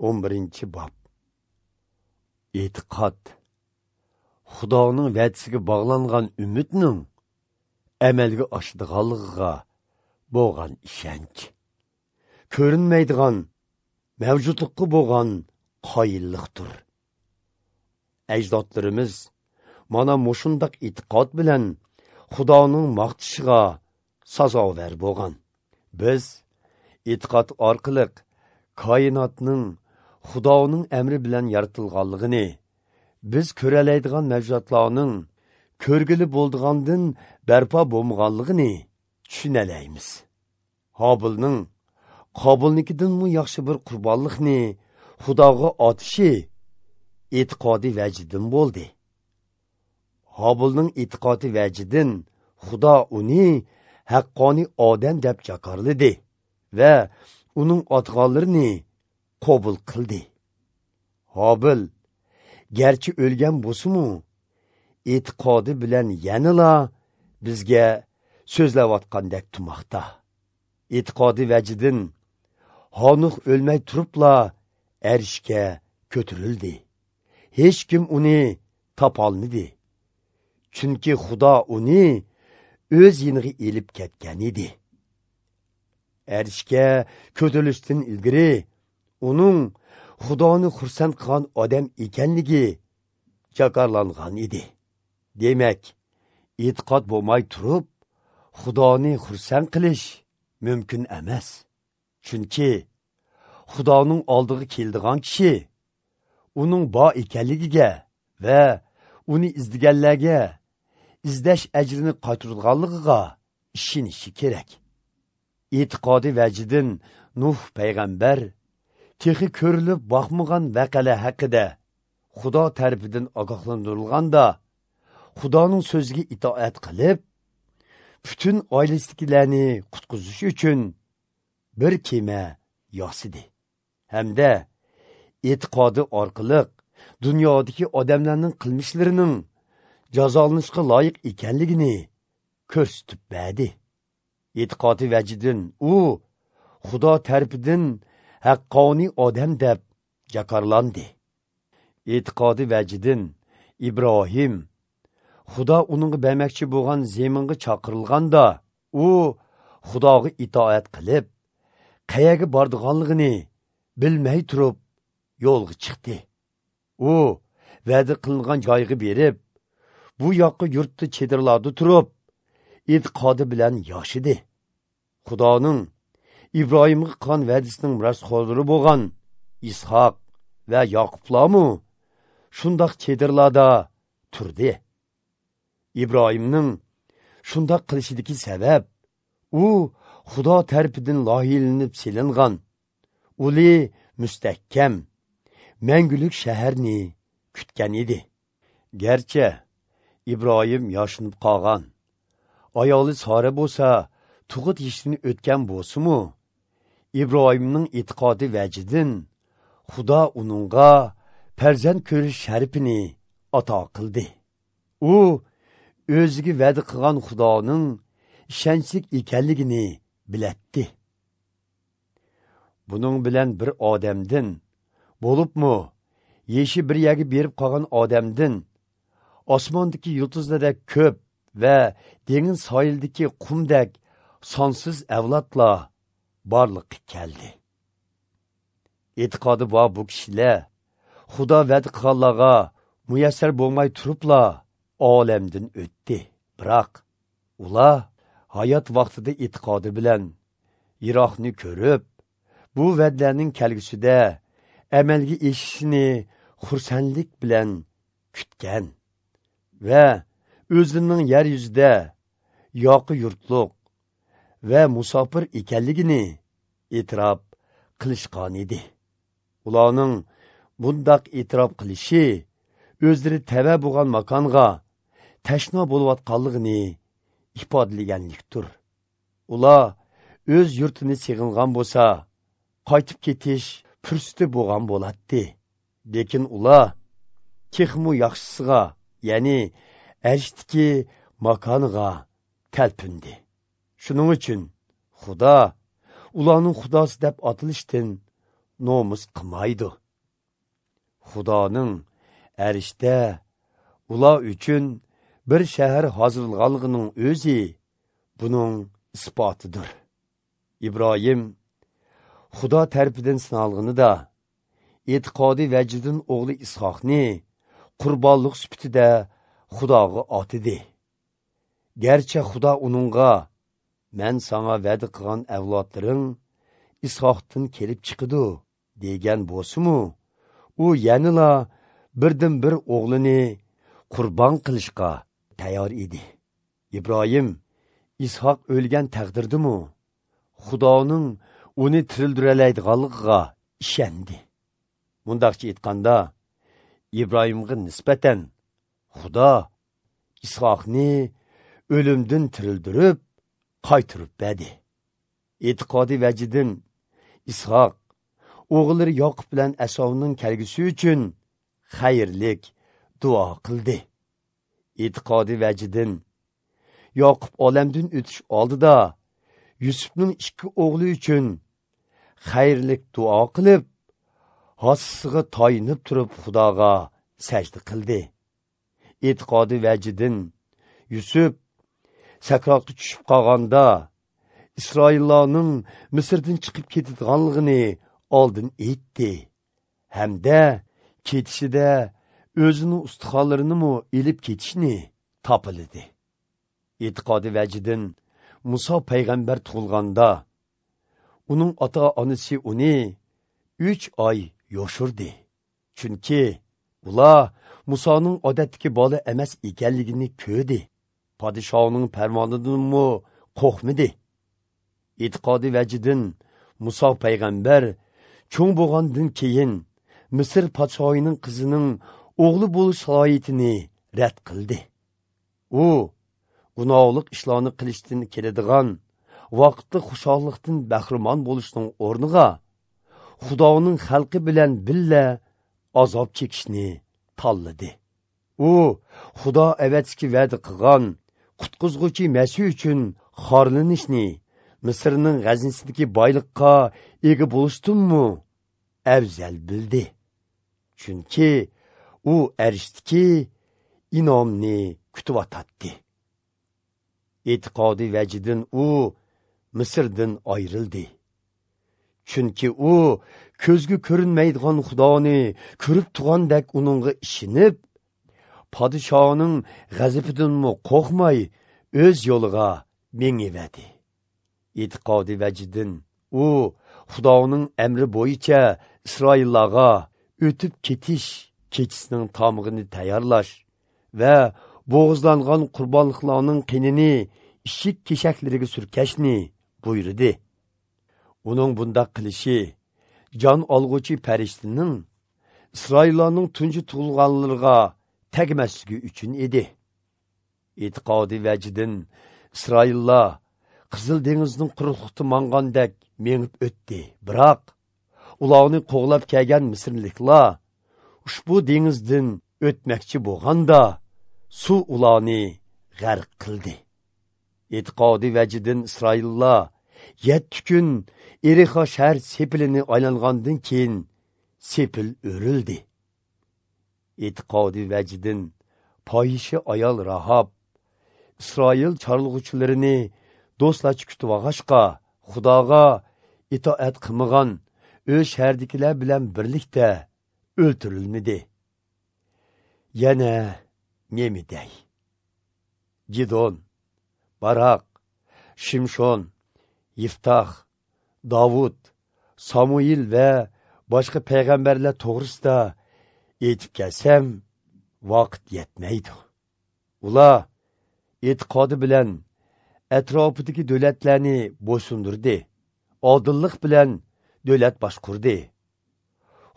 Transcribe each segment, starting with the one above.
11-bob. E'tiqod Xudoning va'dasiga bog'langan umidning amalga oshadiganligiga bo'lgan ishonch. Ko'rinmaydigan mavjudlikqa bo'lgan qoyillikdir. Ajdodlarimiz mana mushundaq e'tiqod bilan Xudoning maqtishiga sazovor bo'lgan. Biz e'tiqod orqali koinotning Xudoning amri bilan yaratilganligini, biz ko'ralaydigan mavjudotlarning ko'rgili bo'ldigandan barpo bo'lmaganligini tushunalaymiz. Hobilning Qobilnikidanmi yaxshi bir qurbonlikni Xudoga otishi e'tiqodiy vajidan bo'ldi. Hobilning e'tiqodi vajidan Xudo uni haqqoniy odam deb jakorladi va uning otganlarini qabul qildi. Hobil garchi o'lgan bo'lsa-mu, e'tiqodi bilan yanala bizga so'zlayotgandek turmoqda. E'tiqodi vajidan Hanuh o'lmay turibla arshga ko'tarildi. Hech kim uni topolmadi. Chunki Xudo uni o'z yeniga elib ketgan edi. Arshga ko'tarilishdan ilgari uning Xudoni xursand qilgan odam ekanligi jakarlangan edi. Demak, e'tiqod bo'lmay turib Xudoni xursand qilish mumkin emas. Chunki Xudoning oldiga keldigan kishi uning bor ekanligiga va uni izlaganlarga izlash ajrini qaytarganligiga ishonishi kerak. E'tiqodi vajidan Nuh payg'ambar texi ko'rilib boqmagan vaqalar haqida Xudo tarafidan ogohlantirilganda Xudoning so'ziga itoat qilib, butun oilasidagilarni qutqizish uchun bir kema yasidi. Hamda e'tiqodi orqali dunyodagi odamlarning qilmishlarining jazolanishga loyiq ekanligini ko'rsatib berdi. E'tiqodi vajidan u Xudo tarafidan haqqoniy odam deb jakorlandi. E'tiqodi vajidan Ibrohim Xudo uningga bermoqchi bo'lgan zeminga chaqirilganda u Xudoga itoat qilib, qayerga bordiganligini bilmay turib yo'lga chiqdi. U va'da qilingan joyga berib, bu yoqqa yurtda chedirlarda turib, e'tiqodi bilan yashidi. Xudoning Ibrohimga qilgan va'dasining merosxo'rlari bo'lgan Ishoq va Yoqublarmi shundoq chedirlarda turdi. Ibrohimning shundoq qilishidagi sabab u Xudo tarafidan loyihalanib selingan uli mustahkam mangulik shaharni kutgan edi. Garchi Ibrohim yoshinib qolgan, ayoli Sora bo'lsa tug'ut yeshini o'tgan bo'lsa-mu, Ibrohimning e'tiqodi vajidan Xudo uningga farzand ko'rish sharafini ato qildi. U o'ziga va'da qilgan Xudoning ishonchli ekanligini bilatdi. Buning bilan bir odamdan, bo'libmi, yeshi bir yerga berib qolgan odamdan osmondagi yulduzlardek ko'p va dengiz sohilidagi qumdek sonsiz avlodlar borliqqa keldi. E'tiqodi bor bu kishilar Xudo va'da qilganlarga muyassar bo'lmay turibla olamdan o'tdi. Biroq ular hayot vaqtida e'tiqodi bilan yiroqni ko'rib, bu va'dalarning kelgusida amalga eshishini xursandlik bilan kutgan va o'zining yer yuzida yoqi yurtliq va musofir ekanligini e'tirof qilishgan edi. Ularning bundaq e'tirof qilishi o'zlari tava bo'lgan makonga tashna bo'layotganligini ifodalaganlikdir. Ular o'z yurtini seg'ingan bo'lsa, qaytib ketish fursati bo'lgan bo'ladi. Lekin ular texmu yaxshisiga, ya'ni arshdagi makoniga talpindi. Shuning uchun Xudo ularning xudosi deb atilishdan nomus qilmaydi. Xudoning arishda ular uchun bir shahar hozirlaganligining o'zi buning isbotidir. Ibrohim Xudo tarafidan sinalganida e'tiqodiy vajidan o'g'li Ishoqni qurbonlik sifatida Xudoga otidi. Garchi Xudo uningga "Men sana va'da qilgan avlodlaring Ishoqdan kelib chiqidi" degan bo'lsa-mu, u yanala birdan bir o'g'lini qurbon qilishga tayyor edi. Ibrohim Ishoq o'lgan taqdirdimi Xudoning uni tirildiraladiganligiga ishondi. Mundaqcha aytganda, Ibrohimga nisbatan Xudo Ishoqni o'limdan tirildirib qaytarib berdi. E'tiqodiy vajidan Ishoq o'g'illari Yoqub bilan Asovning kelgusi uchun xayrlik duo qildi. E'tiqodiy vajidan Yoqub olamdan o'tish oldida Yusufning ikki o'g'li uchun xayrlik duo qilib, hassisiga tayinib turib Xudoga sajda qildi. E'tiqodiy vajidan Yusuf sakratga tushib qolganda Isroillarning Misrdan chiqib ketadiganligini oldin aytdi. Hamda ketishida o'zining ustixonlarini ilib ketishni topildi. E'tiqodiy vajidan Musa payg'ambar tug'ilganda uning ota-onasi uni 3 oy yoshirdi. Chunki ular Musoning odatdagi bola emas ekanligini ko'rdi. Podshohning farmonidanmi qo'rqmadi. E'tiqodiy vajidan Muso payg'ambar cho'ng bo'lgandan keyin Misr podshohining qizining o'g'li bo'lish salohiyatini rad qildi. U gunohlik ishlarni qilishdan keladigan vaqtli xushallikdan bahramon bo'lishning o'rniga Xudoning xalqi bilan billa azob chekishni tanladi. U Xudo avatski va'da qilgan qutqizg'uchi Masih uchun xorlanishni, Misrning g'azinasidagi boyliqqa ega bo'lishdanmi afzal bildi. Chunki u arishdiki inomni kutib otadi. E'tiqodiy vajidan u Misrdan ayrildi. Chunki u ko'zga ko'rinmaydigan Xudoni ko'rib turgandek uningga ishinib, podshoning g'azabidanmi qo'rqmay o'z yo'liga mengivadi. E'tiqodiy vajidan u Xudoning amri bo'yicha Isroillarga o'tib ketish kechisining tomig'ini tayyorlash va bo'g'izlangan qurbonliqlarning qinini eshik keshaklariga surkashni buyurdi. Uning bundaq qilishi jon olg'uchi farishtaning Isroillarning tunji tug'ilganlariga tegmasligi uchun edi. E'tiqodiy vajidan Isroillar Qizil dengizning quruqliqda mangandek mengib o'tdi. Biroq ularni qo'g'lab kelgan misrliklar ushbu dengizdan o'tmoqchi bo'lganda suv ularni g'arq qildi. E'tiqodiy vajidan Isroillar 7 kun Erixo shahar sepilini aylangandan keyin sepil o'rildi. E'tiqodiy vajidan fohisha ayol Rahab Isroil chorlug'uchilarini do'stlarcha kutib olg'achqa Xudoga itoat qilmagan o'z shahardagilar bilan birlikda o'ltirilmadi. Yana nima dey? Gidon, Barak, Shimshon, Yiftax, Davud, Samuil va boshqa payg'ambarlar to'g'risida aytib kelsam, vaqt yetmaydi. Ular e'tiqodi bilan atrofidagi davlatlarni bo'ysundirdi, odillik bilan davlat boshqurdi.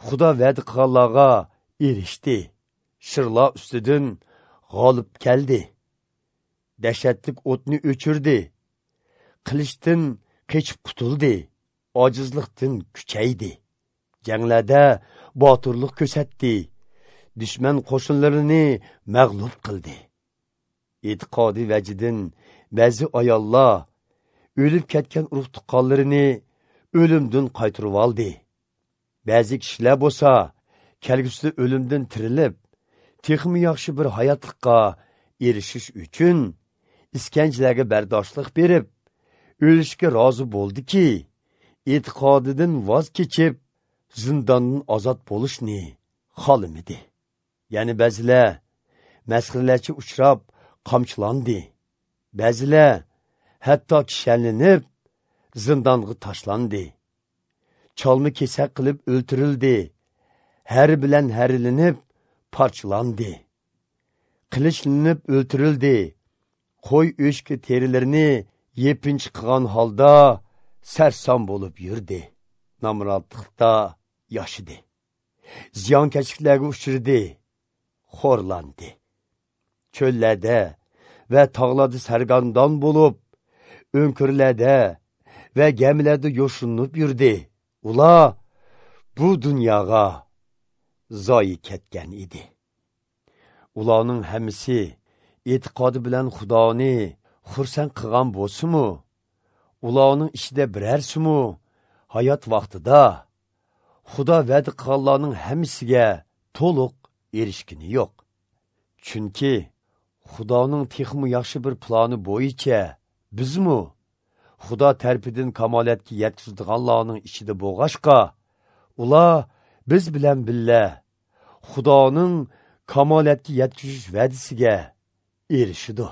Xudo va'da qilganlarga erishdi, shirlar ustidan g'olib keldi. Dahshatlik o'tni o'chirdi, qilichdan qochib qutuldi, ojizlikdan kuchaydi. Janglarda botirlik ko'rsatdi, dushman qo'shinlarini mag'lub qildi. E'tiqodiy vajidan ba'zi ayollar o'lib ketgan urug' tuqqanlarini o'limdan qaytarib oldi. Ba'zi kishilar bo'lsa, kelgusida o'limdan tirilib, texmi yaxshi bir hayotlikqa erishish uchun iskanjalarga bardoshlik berib, o'lishga rozi bo'ldiki, e'tiqodidan voz kechib, zindondan ozod bo'lishni xohlamadi. Ya'ni ba'zilar masxaralarga uchrab qamchilandi. Ba'zilar hatto kishanlanib zindonga tashlandi. Chalma kesak qilib o'ltirildi. Har bilan harilinib parchalandi. Qilichlanib o'ltirildi. Qo'y o'chki terilarini yepinch qilgan holda sarson bo'lib yurdi. Namratlikda yashidi. Ziyonkashliklarga uchradi, xo'rlandi. Cho'llarda va tog'larda sargandon bo'lib, o'nkirlarda va gemilarda yo'shinib yurdi. Ular bu dunyoga zoyi ketgan edi. Ularning hammasi e'tiqodi bilan Xudoni xursand qilgan bo'lsa-mu, ularning ichida birarsimu hayot vaqtida Xudo va'da qilganlarning hammasiga to'liq erishgini yo'q. Chunki Xudoning texmi yaxshi bir plani bo'yicha bizmu Xudo tarafidan kamolatga yetkazadiganlarning ichida bo'lg'ashqa, ular biz bilan birga Xudoning kamolatga yetkazish va'dasiga erishidi.